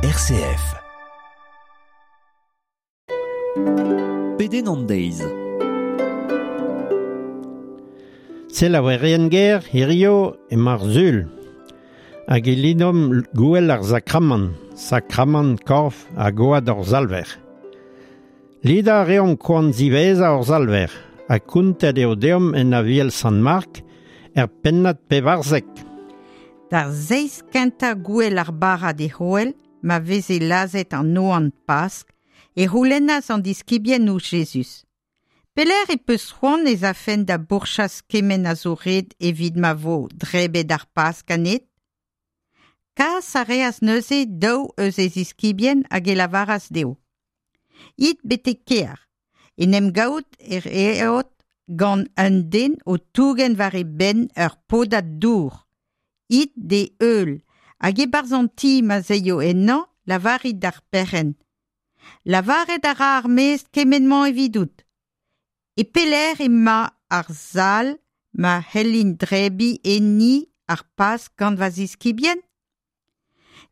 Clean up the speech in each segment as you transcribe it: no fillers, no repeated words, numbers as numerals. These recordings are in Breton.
RCF. Pedenn an deiz. Selaouerien ger, hirio emañ ar Sul. Hag e lidomp gouel ar sakramant, sakramant korf ha gwad hor Salver. Lidañ a reomp koan ziwezhañ hor Salver, ha kontet eo deomp en Aviel Sant-Mark er pennad 14. D'ar zeiz kentañ gouel ar bara dic'hoell, ma veze lazhet an oan Pask, e c'houlennas an diskibien ouzh Jezuz. Pelec'h e peus c'hoant ez afen da bourchas kement a zo ret evit ma vo drebet ar Pask ganit? Kas a reas neuze daou eus e ziskibien hag e lavaras dezho. It betek kêr, en em gaout e reot gant un den o tougen war e benn ur podad dour. It d'e heul, hag e-barzh an ti ma'z aio ennañ, lavarit d'ar perc'henn. Lavaret a ra ar mestr kement-mañ evidout. E pelec'h emañ ar sal ma c'hellin drebiñ enni ar Pask gant va ziskibien?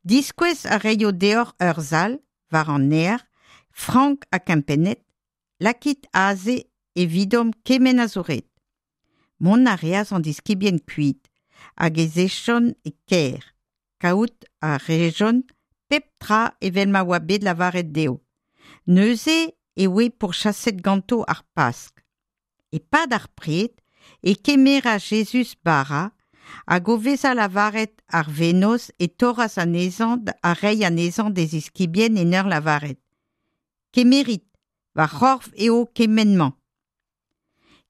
Diskouez a raio deoc'h ur sal, war an nec'h, frank ha kempennet, lakit aze evidomp kement a zo ret. Mont a reas an diskibien kuit, hag ez ejont e kêr. Kaout a rejont pep tra evel ma oa bet lavaret dezho. Neuze e oe pourchaset ganto ar Pask. E-pad ar pred e kemeras Jezuz bara, hag o vezañ lavaret ar vennozh e torras anezhañ ha reiñ anezhañ d'e ziskibien en ur lavaret: Kemerit, va c'horf eo kement-mañ.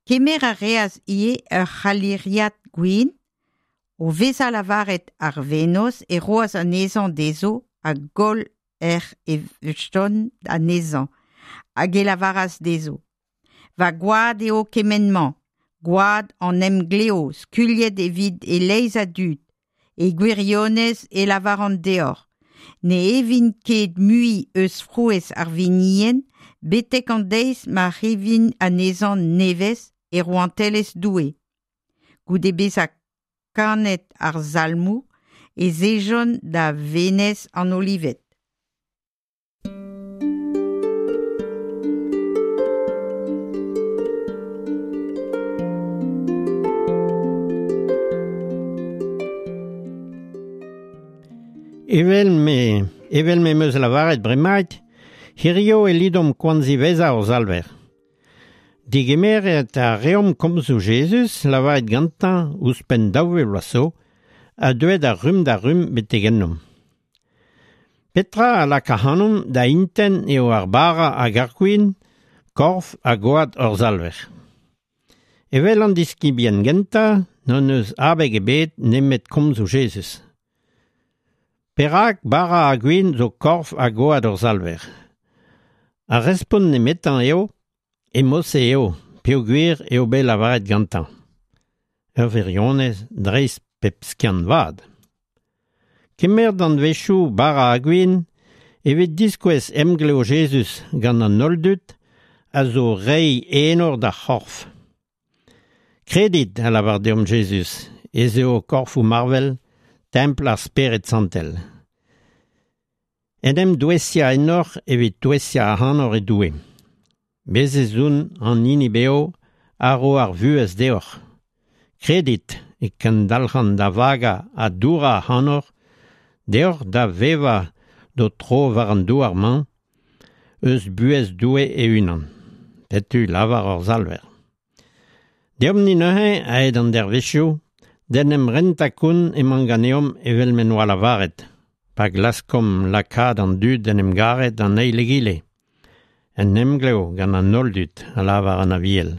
Kemer a reas ivez ur c'haliriad gwin, o vezañ lavaret ar vennozh e roas anezhañ dezho hag holl ec'h evjont anezhañ, hag e lavaras dezho: Va gwad eo kement-mañ, gwad an emglev skuilhet evit e-leizh a dud. E gwirionez e lavaran deoc'h, ne evin ket mui eus frouezh ar winienn betek an deiz ma c'hevin anezhañ nevez e rouantelezh Doue. Goude bezañ kanet ar salmoù ez ejont da Venez an Olived. Evel me, evel m'em eus lavaret bremaik, hirio e lidomp koan ziwezhañ hor Salver. Digemeret a reomp komzoù Jezuz lavaret gantañ ouzhpenn 2000 vloaz zo, ha deuet a rumm da rumm betek ennomp. Petra a lak ac'hanomp da intent eo ar bara hag ar gwin, korf ha gwad hor Salver. Evel an diskibien gentañ, n'hon eus abeg ebet nemet komzoù Jezuz. Perak bara ha gwin zo korf ha gwad hor Salver? Ar respont nemetañ eo E-mod-se eo, peogwir eo bet lavaret gantañ. Ur wirionez dreist pep skiant vat. Kemer danvezioù bara ha gwin evit diskouez emglev Jezuz gant an holl dud a zo reiñ enor d'ar c'horf. Kredit, a lavar deomp Jezuz, ez eo korfoù marvel templ ar Spered Santel. En em douesiañ ennoc'h evit touesiañ ac'hanoc'h e Doue. Bez' ez on an hini bev a ro ar vuhez deoc'h. Kredit e kendalc'han da vagañ ha dourañ ac'hanoc'h, deoc'h da vevañ d'ho tro war an douar-mañ, eus buhez Doue e-unan. Setu lavar hor Salver. Deomp-ni neuze, aet an dervezhioù, d'en em rentañ kont emañ ganeomp evel m'en doa lavaret, pa glaskomp lakaat an dud d'en em garet an eil egile. En emglev gant an holl dud, a lavar an Aviel.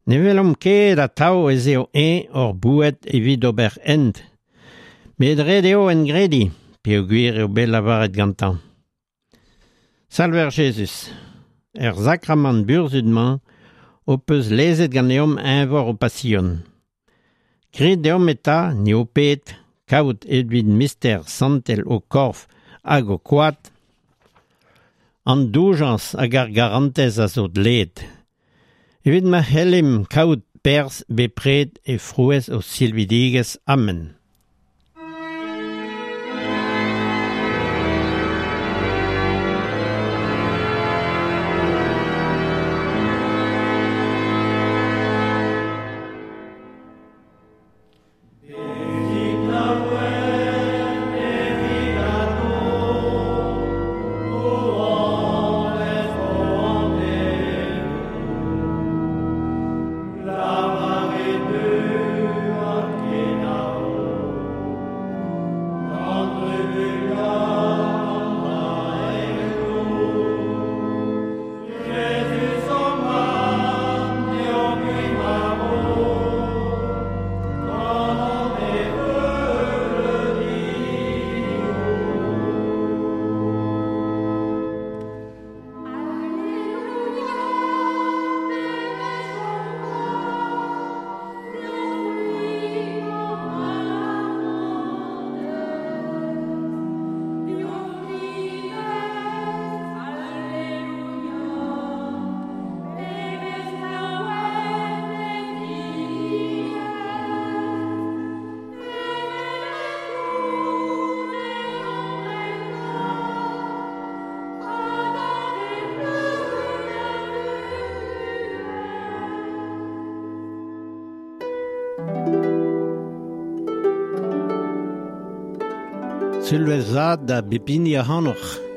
Ne welomp ket atav ez eo eñ hor boued evit ober hent, met ret eo engrediñ peogwir eo bet lavaret gantañ. Salver Jezuz, er sakramant burzhud-mañ ho peus lezet ganeomp eñvor ho pasion. Grit deomp eta, ni ho ped, kaout evit mister santel ho korf hag ho kwad, an doujañs hag ar garantez a zo dleet, evit ma c'hellimp kaout perzh bepred e frouezh ho silvidigezh. Amen. Sulvezh vat da bep hini ac'hanoc'h.